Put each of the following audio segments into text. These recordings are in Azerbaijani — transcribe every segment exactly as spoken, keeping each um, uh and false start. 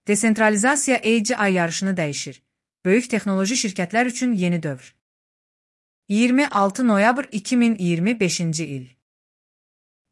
Desentralizasiya A G I yarışını dəyişir. Böyük texnoloji şirkətlər üçün yeni dövr. iyirmi altı noyabr iki min iyirmi beşinci il.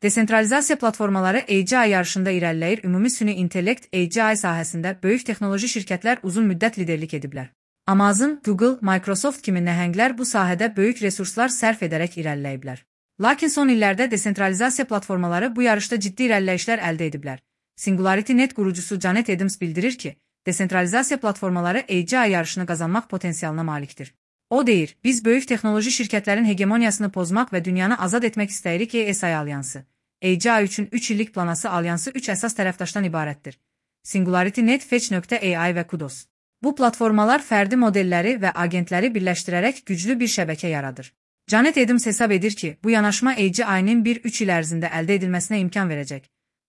Desentralizasiya platformaları A G I yarışında irəliləyir. Ümumi süni intellekt A G I sahəsində böyük texnoloji şirkətlər uzun müddət liderlik ediblər. Amazon, Google, Microsoft kimi nəhənglər bu sahədə böyük resurslar sərf edərək irəliləyiblər. Lakin son illərdə desentralizasiya platformaları bu yarışda ciddi irəliləyişlər əldə ediblər. Singularity Net qurucusu Janet Adams bildirir ki, desentralizasiya platformaları A G I yarışını qazanmaq potensialına malikdir. O deyir, biz böyük texnoloji şirkətlərin hegemoniyasını pozmaq və dünyanı azad etmək istəyirik. A S I alyansı. A G I üçün üç illik planası alyansı üç əsas tərəfdaşdan ibarətdir. Singularity Net, Fetch.A I və Kudos. Bu platformalar fərdi modelləri və agentləri birləşdirərək güclü bir şəbəkə yaradır. Janet Adams hesab edir ki, bu yanaşma A G I-nin bir üç il ərzində əldə edilməsinə imkan verəcək.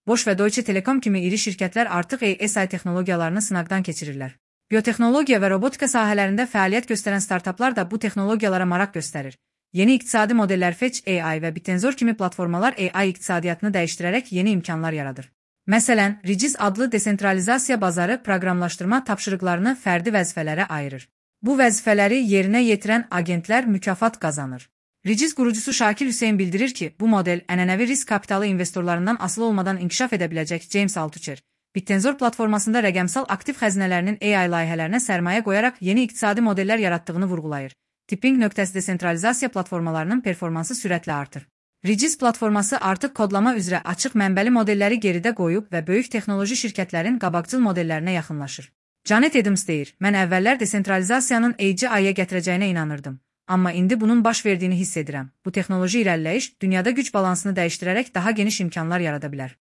Bosch və Deutsche Telekom kimi iri şirkətlər artıq A S I texnologiyalarını sınaqdan keçirirlər. Biotexnologiya və robotika sahələrində fəaliyyət göstərən startaplar da bu texnologiyalara maraq göstərir. Yeni iqtisadi modellər Fetch.A I və Bitenzor kimi platformalar A I iqtisadiyyatını dəyişdirərək yeni imkanlar yaradır. Məsələn, Regiz adlı desentralizasiya bazarı proqramlaşdırma tapşırıqlarını fərdi vəzifələrə ayırır. Bu vəzifələri yerinə yetirən agentlər mükafat qazanır. Regiz qurucusu Şakir Hüseyn bildirir ki, bu model ənənəvi risk kapitalı investorlarından asılı olmadan inkişaf edə biləcək. James Altucher, Bitenzor platformasında rəqəmsal aktiv xəzinələrinin A I layihələrinə sərmayə qoyaraq yeni iqtisadi modellər yaratdığını vurğulayır. Tipping nöqtəsi desentralizasiya platformalarının performansı sürətlə artır. Regiz platforması artıq kodlama üzrə açıq mənbəli modelləri geridə qoyub və böyük texnoloji şirkətlərin qabaqcıl modellərinə yaxınlaşır. Janet Adams deyir, mən əvvəllər desentralizasiyanın A G I-yə gətirəcəyinə inanırdım. Amma indi bunun baş verdiyini hiss edirəm. Bu texnoloji irəliləyiş dünyada güc balansını dəyişdirərək daha geniş imkanlar yarada bilər.